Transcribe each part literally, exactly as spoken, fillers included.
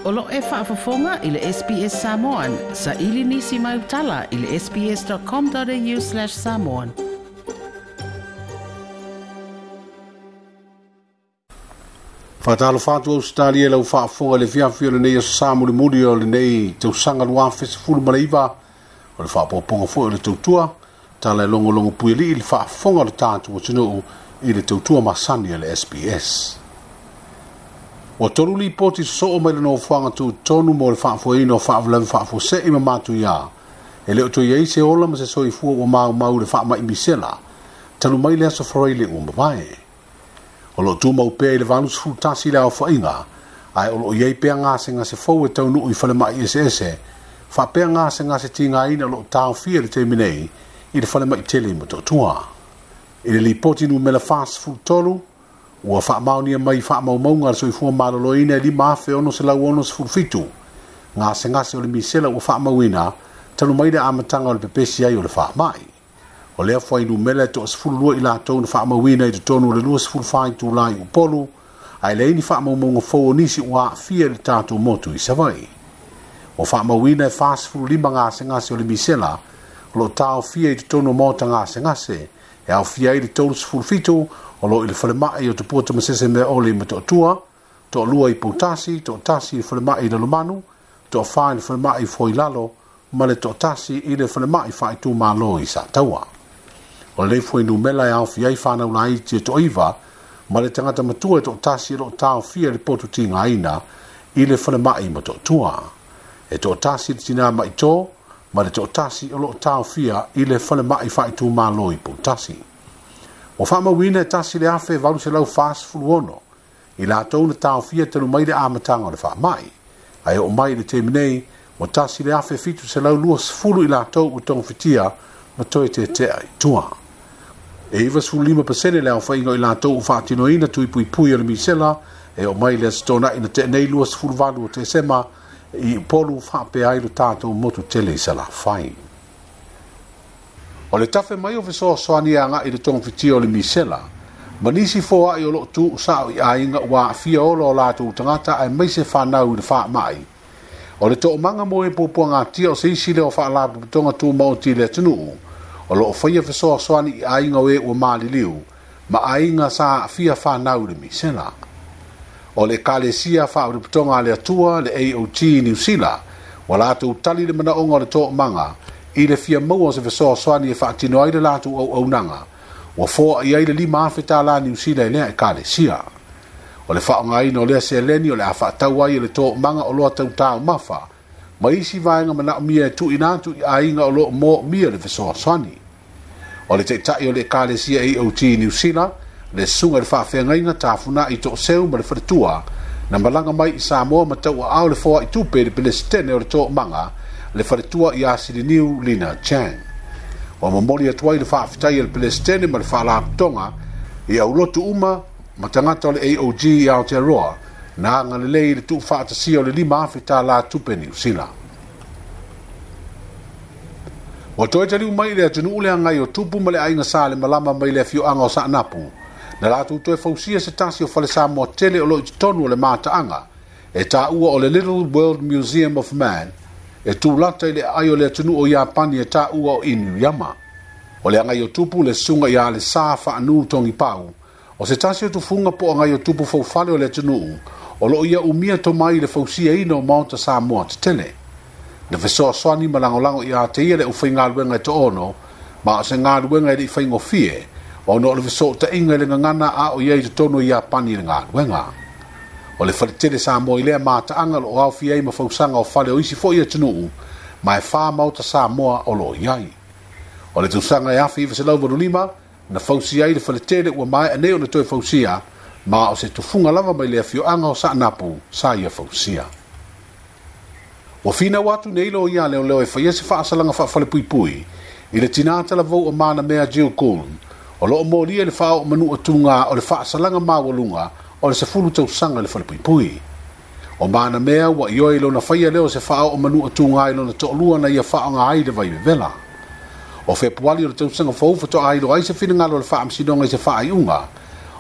O lo e faafofoga i le S B S Samoan, sa ili nisi mai utala i le sbs.com.au slash samoan. Whātalo whātu Australia lau whaafonga le fiafi o le nei aso mulimuli o le nei tausaga lua afe sefulu ma le iva o le whaapoponga foi o le tautua tala e longolongo puili i le whaafonga o le tātu atunuu i le tautua masani a le S B S. O tolu lipoti sosoo mai le nofoaga tutonu mo le faafoeina o faalavelave faafuasei ma matuia. E le o toe i ai se ola ma se soifua ua maumau le faamai misela, talu mai le aso Faraile ua mavae. O loo tumau pea i le valu sefulu tasi le aofaiga, ae o loo i ai pea gasegase fou e taunuu i falemai eseese, faapea gasegase tigaina o loo taofia le taimi nei i le falemai tele i Motootua. I le lipoti numera fasefulu tolu, ua faamaonia mai faamaumauga a le soifua maloloina e lima afe ono selau ono sefulu fitu. Gasegase o le misela ua faamauina, talu mai le amataga o le pepesi ai o le faamai. O lea fuainumera e toasefulu lua i latou na faamauina i totonu o le lua sefulu fa itulā i Upolu, ae leai ni faamaumauga fou o nisi ua aafia i le tatou motu i Savaii. Ua faamauina e fasefulu lima gasegase o le misela, o loo taofia i totonu o maota gasegase, e aofia ai le tolu sefulu fitu o loo i le falemai o Tupua Tamasese Meaole i Motootua, toalua i Poutasi, toatasi i le falemai i Lalomanu, toafa i le falemai i Foilalo, ma le toatasi i le falemai faaitumalo i Sataua. O le fuainumera e aofia ai whanau laiti e toaiva, ma le tagata matua e toatasi e loo taofia le potu tigaina i le falemai i Motootua. E toatasi le tinā maitō, ma le toatasi o loo taofia i le falemai faaitumalo i Poutasi. O faamauina e tasi le afe valu selau fasefulu ono, i latou na taofia talu mai le amataga o le faamai. Ae oo mai i le taimi nei, ua tasi le afe fitu selau lua sefulu i latou ua togafitia ma toe tetea i tua. E iwa sefulu lima pasene le aofaiga o i latou ua faatinoina tuipuipui o le misela, e oo mai le aso Toonai na tea nei lua sefulu valu o Tesema i Upolu faapea ai lo tatou motu tele i Salafai. O le tafe mai o fesoasoani e agai i le togafitia o le misela, ma nisi foai o loo tuu sao i aiga ua aafia ola o latou tagata aemaise whanau i le faamai. O le toomaga mo e puapuagatia o se isi lea o faalapotopotoga tumaoti i le atunuu, o loo faia fesoasoani i aiga o e ua maliliu, ma aiga sa aafia whanau i le misela. O le Ekalesia Faalapotopotoga a le Atua, le A O T Niu Sila, ua latou tali le manaoga o le toomaga i le fia maua o se fesoasoani e faatino ai le latou auaunaga, ua foai ai le lima afe tālā Niu Sila i lea Ekalesia. O le faaaogaina o lea seleni o le a faatau ai e le toomaga o loa tautaumafa, ma isi vaega manaomia e tuuina atu i aiga o loo moomia le fesoasoani. O le taitai o le Ekalesia A O T Niu Sila, le susuga i le faafeagaiga Tafunai Tooseu ma le faletua, na malaga mai i Samoa ma tauaao le foai tupe i le Pelesitene o le toomaga, le faletua ia Siliniu Lina Chang. Ua momoli atu ai le faafetai a le Pelesitene ma le faalapotopotoga i aulotu uma ma tagata o le A O G i Aotearoa, na agalelei i le tuufaatasia o le lima afe tālā tupe Niu Sila. Ua toe taliu mai i le atunuu le agai o Tupu ma le aiga sa le malama mai le afioaga o Saanapu, na latou toe fausia se tasi o fale Samoa tele o loo i totonu o le mataaga, e taua o le Little World Museum of Man, e tulata i le aai o le atunuu o Iapani e taua o Inuyama. O le agai o Tupu le susuga ia le Sa Faanu Togipau, o se tasi o tufuga po o agai o Tupu faufale o le atunuu, o loo ia umia tomai i le fausiaina o maota Samoa tetele. Na fesoasoani ma lagolago ia te ia le aufaigaluega e toono, ma o se galuega e lei faigofie, ona o le fesootaiga i le gagana a o iai i totonu o Iapani i le galuega. O le faletele Samoa i lea mataaga o loo aofia ai ma fausaga o fale o isi foi atunuu, ma e whā maota Samoa o loo iai. O le tausaga e afe iwa selau valu lima, na fausia ai le faletele ua maea nei ona toe fausia, ma o se tufuga lava mai le afioaga o Saanapu sa ia fausia. Ua finau atu nei loia leoleo e faia se faasalaga faafalepuipui i le tinā talavou o manamea Jill Gould, o loo molia le faaoo manua tuga o le faasalaga maualuga o le sefulu tausaga i le falepuipui. O manamea ua ioe i lona faia lea o se faaoo manua tuga i lona toalua na ia faaoga ai le vaivevela. O Fepuali o le tausaga fou faatoa iloa ai se finagalo o le faamasinoga i se faaiuga,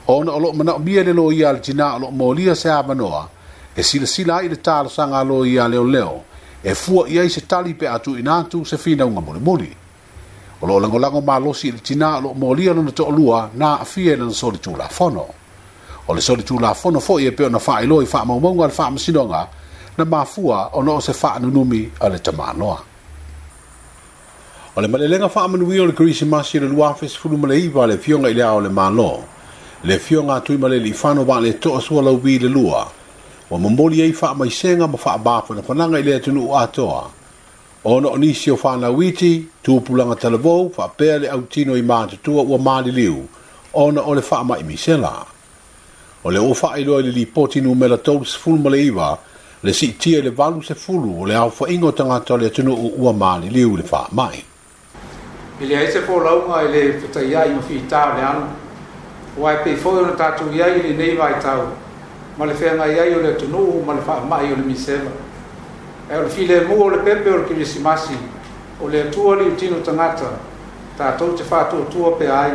ona o loo manaomia le loia a le tinā o loo molia se avanoa E silasila ai le talosaga a loia a leoleo e fua i ai se tali pe a tuuina atu se finauga mulimuli. O loo lagolago malosi i le tinā o loo molia lona toalua na aafia i lana solitulafono. O le solitulafono foi e pei ona faailoa i faamaumauga a le faamasinoga na mafua ona o se faanunumi a le tamaloa. O le malelega faamanuia o le Kerisimasi o le lua afe sefulu ma le iva a le Afioga i le Ao o le Malo, le Afioga a Tuimalealiifano Vaaletoa Sualauvi le Lua, ua momoli ai faamaisega ma faamafanafanaga i le atunuu atoa, ona o nisi o fanau iti, tupulaga talavou, faapea le autino i matutua ua maliliu, ona o le faamai misela. O le ua faailoa i le lipoti numera tolu ma le iva, le siitia i le valu sefulu o le aofaiga o tagata o le atunuu ua maliliu i le faamai. E leai se folauga i le fetaiai ma fitā o le alo, aua e pei foi ona tatou i ai i lenei vaitau, ma le feagai ai o le atunuu ma le faamai o le misela. Ae o le filemu o le pepe o le Kerisimasi, o le Atua liutino tagata, tatou te faatuatua pea ai,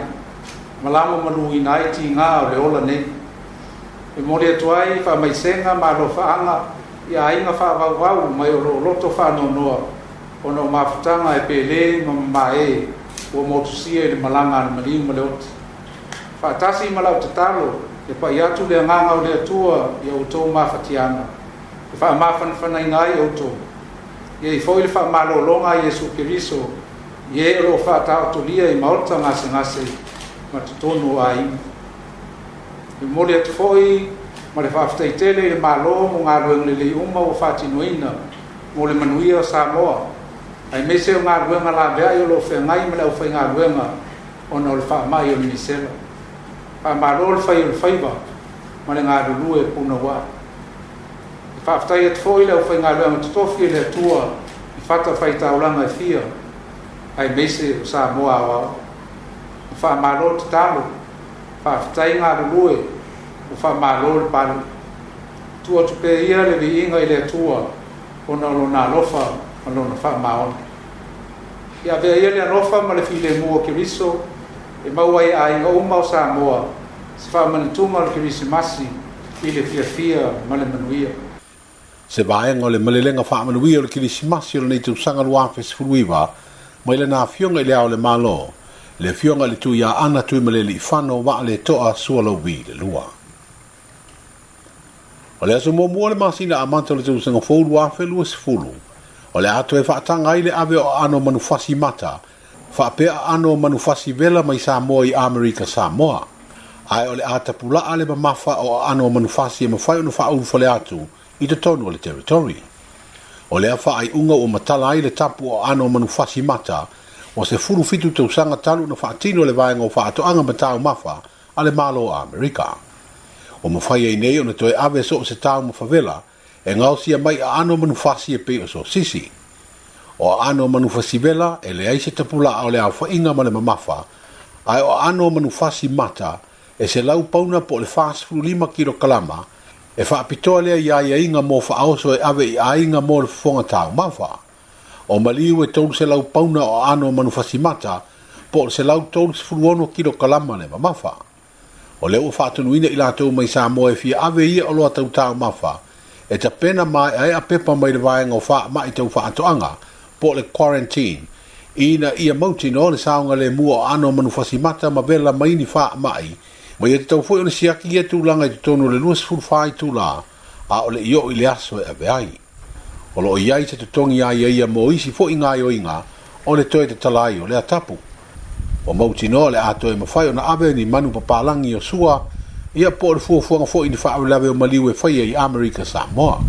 ma lamaluina ai tigā o le ola nei. E momoli atu ai faamaisega ma alofaaga i aiga faavauvau mai o loo loto faanoanoa, ona o mafutaga e pele ma mamae ua motusia i le malaga a le maliu ma le oti. Faatasi ma lau tatalo, e pai atu le agaga o le Atua ia outou mafatiaga, e faamafanafanaina ai outou. Ia i foi le faamalologa a Iesu Keriso, i e o loo faataotolia i maota gasegase ma totonu o aiga. E momoli atu foi ma le faafetai tele i le Malo mo galuega lelei uma ua faatinoina mo le manuia o Samoa, aemaise o galuega laveai o loo feagai ma le aufaigaluega ona o le faamai o le misela. Faamalo le fai o le faiva ma le galulue punouai. E faafetai atu foi le aufaigaluega totofi e le Atua i fatafaitaulaga e fia, aemaise o Samoa aoao. Faamalo tatalo, faafetai galulue, ua faamalo le pale. Tuu atu pea ia le viiga i le Atua ona o lona alofa ma lona faamaoni. Ia avea ia le alofa ma le filemu o Keriso e maua ai aiga uma o Samoa se faamanatuga o le Kerisimasi i le fiafia ma le manuia. Se vaega o le malelega faamanuia o le Kerisimasi o lenei tausaga lua afe sefulu iva mai lana Afioga i le Ao o le Malo, le Afioga i le Tuiaana Tuimalealiifano Vaaletoa Sualauvi le Lua. O le aso muamua o le masina amata o le tausaga fou lua afe lua sefulu, o le a toe faataga ai le ave o aano manufasi mata, faapea aano manufasi vela mai Samoa i Amerika Samoa. Ae o le a tapulaa le mamafa o aano manufasi e mafai ona faaulufale atu i totonu o le territory. O lea faaiuga ua matala ai le tapu o aano manufasi mata, o se fulu fitu tausaga talu na faatino le vaega o faatoaga ma taumafa a le Malo o Amerika. O mafai ai nei ona toe ave so o se taumafa vela e gaosia mai aano manufasi e pei o sosisi. O aano manufasi vela e leai se tapulaa o le aofaiga ma le mamafa, ae o aano manufasi mata e se lau pauna po o le fasefulu lima kilokalama e faapitoa lea i aiaiga mo faaoso e ave i aiga mo le fofoga taumafa. O maliu e tolu selau pauna o aano manufasi mata po o le selau tolu sefulu ono kilokalama le mamafa. O lea ua faatonuina i latou mai Samoa e fia ave ia oloa tau taumafa e tapena maeaea pepa mai le vaega o faamai tau faatoaga po o le quarantine, ina ia mautinoa le saogalemu o aano manufasi mata ma vela mai ni faamai, ma ia tatau foi ona siaki ia tulaga i totonu o le lua sefulu fa itulā a o le i oo i le aso e ave ai. O loo i ai se totogi aiaia mo isi foi gaoioiga o le toe tatala ai o lea tapu. Ua mautinoa le a toe mafai ona ave ni manu papalagi o sua, ia po o le fuafuaga foi ni faalavelave o maliu e faia i Amerika Samoa.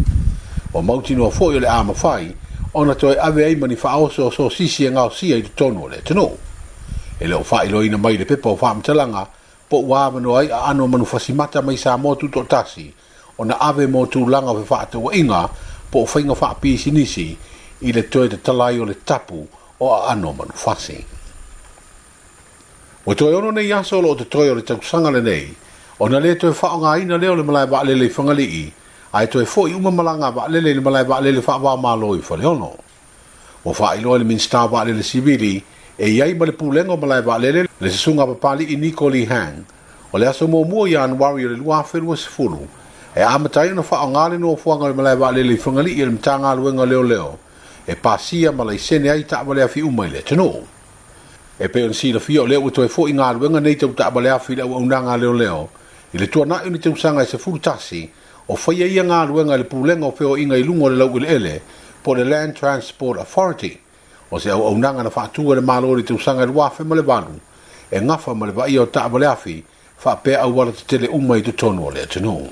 Ua mautinoa foi o le a mafai ona toe ave ai ma ni faaoso o sosisi e gaosia i totonu o le atunuu. E le o faailoaina mai le pepa o faamatalaga po ua avanoa ai aano manufasi mata mai Samoa tutoatasi ona ave mo tulaga o fefaatauaiga po o faiga faapisinisi i le toe tatala ai o le tapu o aano manufasi. Ua toe ono nei aso o loo totoe o le tausaga lenei, ona le toe faaaogaina lea o le malae vaalele i Fagalii, ae toe foi uma malaga vaalele i le malae vaalele faava-o-Malo i Faleolo. Ua faailoa i le Minisita o Vaalele Sivili e i ai ma le pulega o malae vaalele le susuga a Papali'i Niko Lee Hang, o le aso muamua Ianuari o le lua afe lua sefulu, E amata ai ona faaaogā le nofoaga o le malae vaalele i Fagalii e le Matagaluega o Leoleo e pasia ma laisene ai taavale afi uma i le atunuu. E pei ona silafia o lea ua toe fo'i galuega nei tau taavale afi i le auaunaga a leoleo i le tuana'i o ni tausaga e sefulu tasi o faia ia galuega i le pulega o feoaiga i luga o le laueleele po o le Land Transport Authority o se auaunaga na faatu e le Malo i le tausaga e lua afe ma le valu e gafa ma le vaaia o taavale afi faapea auala tetele uma i totonu o le atunuu.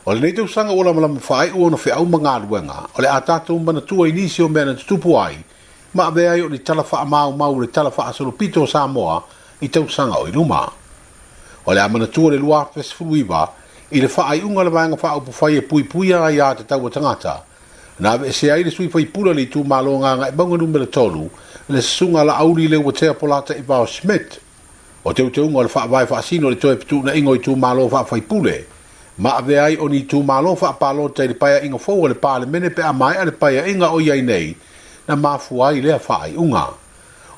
O lenei tausaga ua lamalama faaiu ona feau ma galuega o le a tatou manatua i nisi o mea na tutupu ai ma avea ai o ni tala faamaumau le tala faasolopito o Samoa i tausaga o i luma. O le a manatua le lua afe sefulu iva i le faaiuga o le vaega faaupufai e puipuia aiā tatau a tagata na aveesea ai le sui faipule o le itumalo Gagaemauga numera tolu le susuga Laauli Leuatea Polataivao Schmidt. O teuteuga o le faavae faasino o le toe fetuunaiga o itumalo faafaipule ma avea ai o ni itumalo faapalota i le paeaiga fou a le Palemene pe a maea le paeaiga o i ai nei na mafua ai lea faaiuga.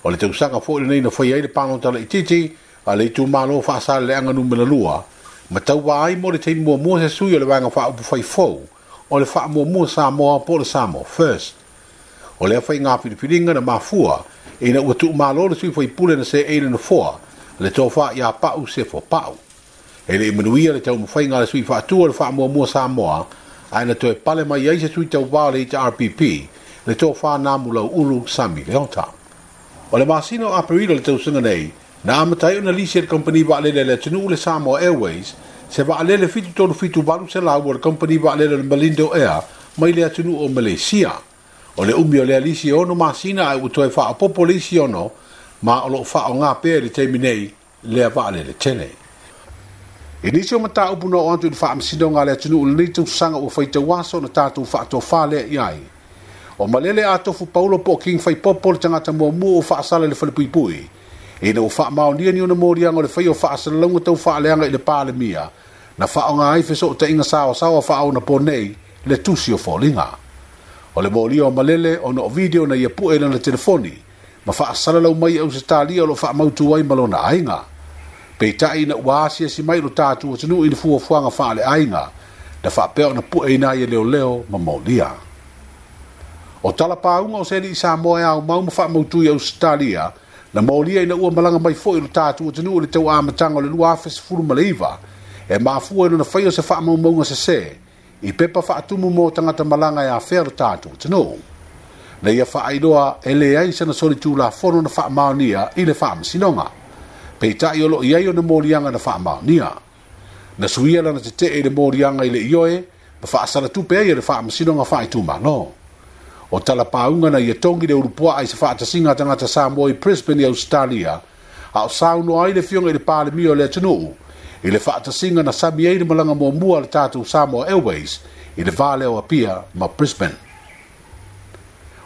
O le tausaga foi lenei na faia ai le palota laitiiti a le itumalo Faasaleleaga numera lua ma tauva ai mo le taimi muamua se sui o le vaega faaupufai fou o le faamuamua Samoa po o le Samoa First. O lea faiga filifiliga na mafua ina ua tuumalo le sui faipule na seei le nofoa le tofa ia Pau Sefo Pau. E le i manuia le taumafaiga a le sui faatua o le faamuamua Samoa ae na toe pale mai ai se sui tauvā o le H R P P le tofa Namu Ulu Sami Leota. O le masina o Aperila o le tausaga nei na amata ai ona lisi e le kompani vaalele a le atunuu le Samoa Airways se vaalele fitu tolu fitu valu selau o le kompani vaalele o le Malindo Air mai le atunuu o Malaysia. O le umi o lea lisi e ono masina ae ua toe faaopopo le isi ono ma o loo faaaogā pea i le taimi nei lea vaalele tele. I nisi o mataupu na oo atu i le faamasinoga a le atunuu lenei tausaga ua faitauaso na tatou faatofā lea i ai. O Malele a Tofu Paulo po o King Faipopo le tagata muamua ua faasala i le falepuipui. Ina ua faamaonia ni ona moliaga o le faia o faasalalauga tau faaleaga i le Palemia na faaaoga ai fesootaiga saoasaoa faaonapo nei le tusi o foliga. O le molia o Malele ona o video na ia pue i lana telefoni ma faasalalau mai e Ausetalia o loo faamautu ai ma lona aiga. Peitai ina ua asiasi mai lo tatou atunuu i le fuafuaga faaleaiga na faapea ona pueina ai e leoleo ma molia. O talapauga o se alii Samoa e aumau ma faamautu i Ausetalia na molia ina ua malaga mai foi lo tatou atunuu i le tauamataga o le lua afe sefulu ma le iva e mafua i lona faia o se faamaumauga sesē i pepa faatumu mo tagata malaga e afea lo tatou atunuu. Na ia faailoa e leai sana solitulafono na faamaonia i le faamasinoga. Peitai o loo i ai ona moliaga na faamaonia. Na suia lana tetee i le moliaga i le ioe ma faasalatupe ai e le faamasinoga faaitumalo. O talapauga na ia togi le ulupuaa i se faatasiga a tagata Samoa i Brisbane i Australia a o saunoa ai le afioga i le Palemia o le atunuu i le faatasiga na sami ai le malaga muamua a le tatou Samoa Airways i le va lea o Apia ma Brisbane.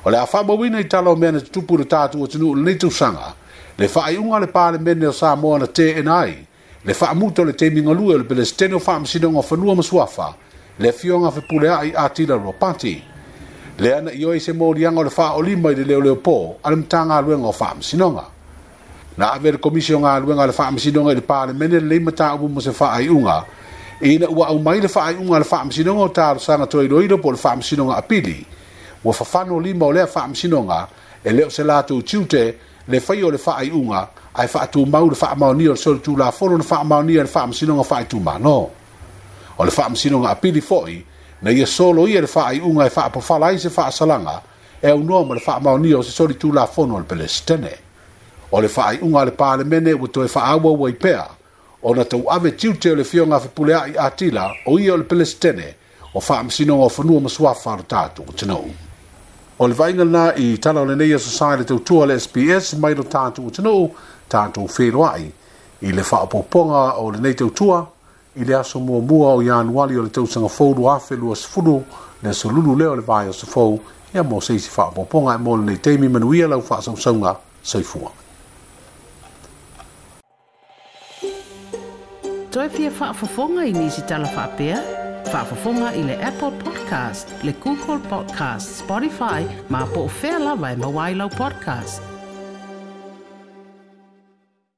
O le a faamauina i tala o mea na tutupu i le tatou atunuu i lenei tausaga le faaiuga a le Palemene o Samoa na teena ai le faamuta o le taimi galue o le Pelesitene o Faamasinoga o Fanua ma Suafa le afioga Fepuleai Atila Ropati. Lea na ioe se moliaga o le faaolima i le leoleopō a le Matagaluega o Faamasinoga. Na ave le Komisi o Galuega a le Faamasinoga i le Palemene lenei mataupu mo se faaiuga ina ua aumai le faaiuga a le Faamasinoga o Talosaga Toiloilo po o le Faamasinoga Apili. Ua fafano lima o lea faamasinoga e le o se latou tiute le faia o le faaiuga ae faatumau le faamaonia o le solitulafono na faamaonia e le Faamasinoga Faaitumalo. O le Faamasinoga Apili foi na ia solo ia le faaiuga e faapafala ai se faasalaga e aunoa ma le faamaonia o se solitulafono a le Pelesitene. O le faaiuga a le Palemene ua toe faaauau ai pea ona tauave tiute o le afioga Fepuleai Atila o ia o le Pelesitene o Faamasinoga o Fanua ma Suafa o le tatou atunuu. O le vaaiga lena i tala o lenei aso sa i le tautua a le S B S mai lo tatou atunuu tatou feloai i le faaopoopoga o lenei tautua i le aso muamua o Ianuari o le tausaga fou lua afe lua sefulu le aso lulu lea o le vaiaso fou ia mo se isi faaopoopoga e mo lenei taimi manuia lau faasausauga soifua. Toe fia faafofoga i nisi tala faapea? Faafofoga i le Apple Podcast, le Google Podcast, Spotify, ma po o fea lava e maua ai lau podcast.